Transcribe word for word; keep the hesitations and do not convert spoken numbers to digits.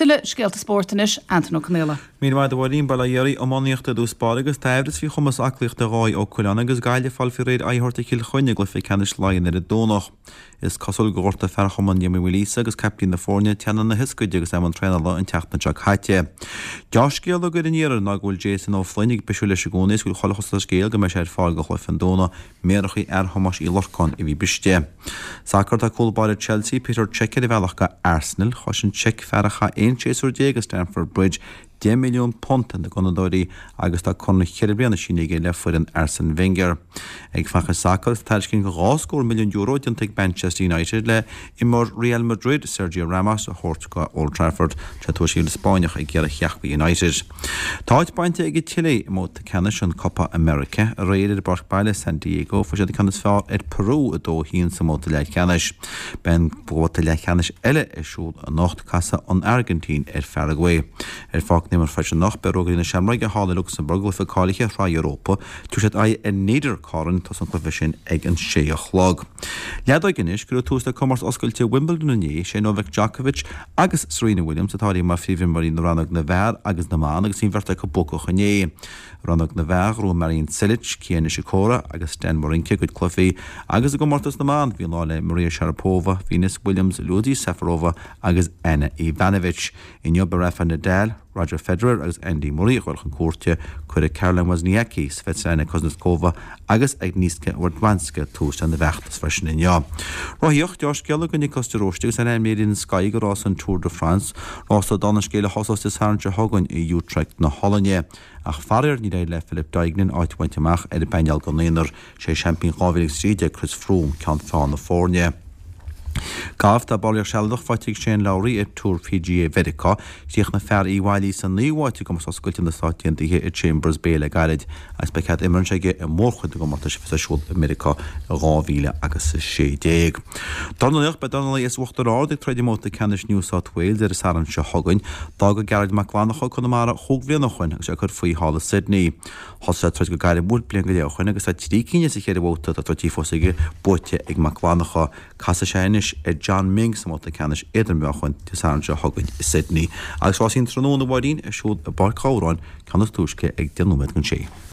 Tuilleadh scéalta spóirt anois, Antain Ó Conghaile. Míle maith agat a Mháirín. Bail ó Dhia oraibh. Iománaíocht i dtús báire agus tá aimhreas faoi chumas aclaíochta Dháithí Ó Coileáin agus Gaillimh fáil faoi réir aghaidh a thabhairt ar Chill Chainnigh i gcluiche ceannais Laighean ar an Domhnach. Is cosúil gur ghortaigh fear chumann Liam Uí Mhaoilíosa agus caiptín na foirne teannán na hioscaide agus é i mbun traenála an tseachtain seo caite. Deá-scéala go an iarraidh ná go bhfuil Jason Ó Floinn ag bisiú leis i gcónaí is go bhfuil chuile chosúlacht ar an scéal go mbeidh sé ar fáil do chluiche an Domhnaigh, méaracha fhear Thomáis Uí Lorcáin a bhí briste. Sacar tá cúl báire Chelsea Peter Cech ar a bhealach go Arsenal. Chosain Cech fear a chaith aon séasúr déag i Stamford Bridge deich milliún punt ar na gunnadóirí agus tá conradh ceithre bliana sínithe aige le foireann Arsene Wenger. Ag fanacht sa sacar tá tairiscint dhá scór milliún euro déanta ag Manchester United le imreoir Real Madrid Sergio Ramos a thabhairt go Old Trafford tá tuairiscí an Spáinneach ag iarraidh theacht go United. Tá áit bainte ag Chile i mbabhta ceannais an Copa America aréir ar an bpáirc baile San Diego fuair siad an ceann is fearr ar Peru a dó haon sa mbabhta leathcheannais. Beidh an babhta leathcheannais eile ar siúl anocht casfaidh an Airgintín ar Pharagua. Ar Pháirc na hImeartha freisin anocht beidh Rógairí na Seamróige thall i Lucsamburg cluiche cáilithe Shraith Europa tabharfaidh siad aghaidh ar Niederkorn tosóidh an cluiche sin ag an sé a chlog. Leadóg anois cuireadh tús le comórtas oscailte Wimbledon inné sé Novak Djokovic agus Serena Williams atá mar phríomhimreoirí na rannóg na bhfear agus na mban agus bhí an bheirt acu buacach inné. Rannóg na bhfear bhuaigh Marin Cilic, Kei Nishikori agus Stan Wawrinka a gcuid cluichí agus i gcomórtas na mban bhí lá le Maria Sharapova, Venus Williams, Lucie Safarova agus Anna Ivanovic. Inniu beidh Rafa Nadal, Roger Federer agus Andy Murray ag dul chun cúirte cuirfidh Caroline Wozniacki, Svetlana Kuznetsova agus Agnieszka Radwanska tús lena bhfeachtas freisin inniu. Rothaíocht deá-scéala do Nicolas de Róiste agus ainmnithe in Sky do rás an Tour de France, rás dála an scéil a thosós Dé Sathairn seo chugainn i Utrecht na Hollainne. Ach faraor níor éirigh le Philip Deignan áit a bhaint amach ar an bpainéal don aonar sé seaimpín dhá mhíle agus trí déag Chris Froome ceann feadhna na foirne. Galf tá ballraíocht sealadach faighte ag Shane Lowry ar Tour PGA Mheiriceá, Chríochnaigh fear Uíbh Fhailí sa naoú háit i gcomórtas oscailte na Stát Aontaithe i Chambers Bay le gairid agus beidh cead imeartha aige i mórchuid na gcomórtais a bheas ar siúl i Meiriceá i dhá mhíle agus a sé déag. Dornálaíocht beidh dornálaí as Uachtar Ard ag troid i mbabhta ceannais New South Wales ar an Satharn seo chugainn. D'fhág Gearóid Mac Fhlannchadha Conamara chúig bhliain ó shin agus é ag cur faoi thall i Sydney. Thosaigh sé ag troid go gairmiúil bliain go leith ó shin agus tá trí cinn as an cheithre bhabhta atá troidte fós aige buaite ag Mac Fhlannchadha. Casfaidh sé anois ar John Ming sa mbabhta ceannais idirmheáchain Dé Sathairn seo chugainn i Sydney. Agus rásaí an tráthnóna a Mháirín ar siúl i bPáirc Ghabhráin ceann is túisce ag deich nóiméad don sé.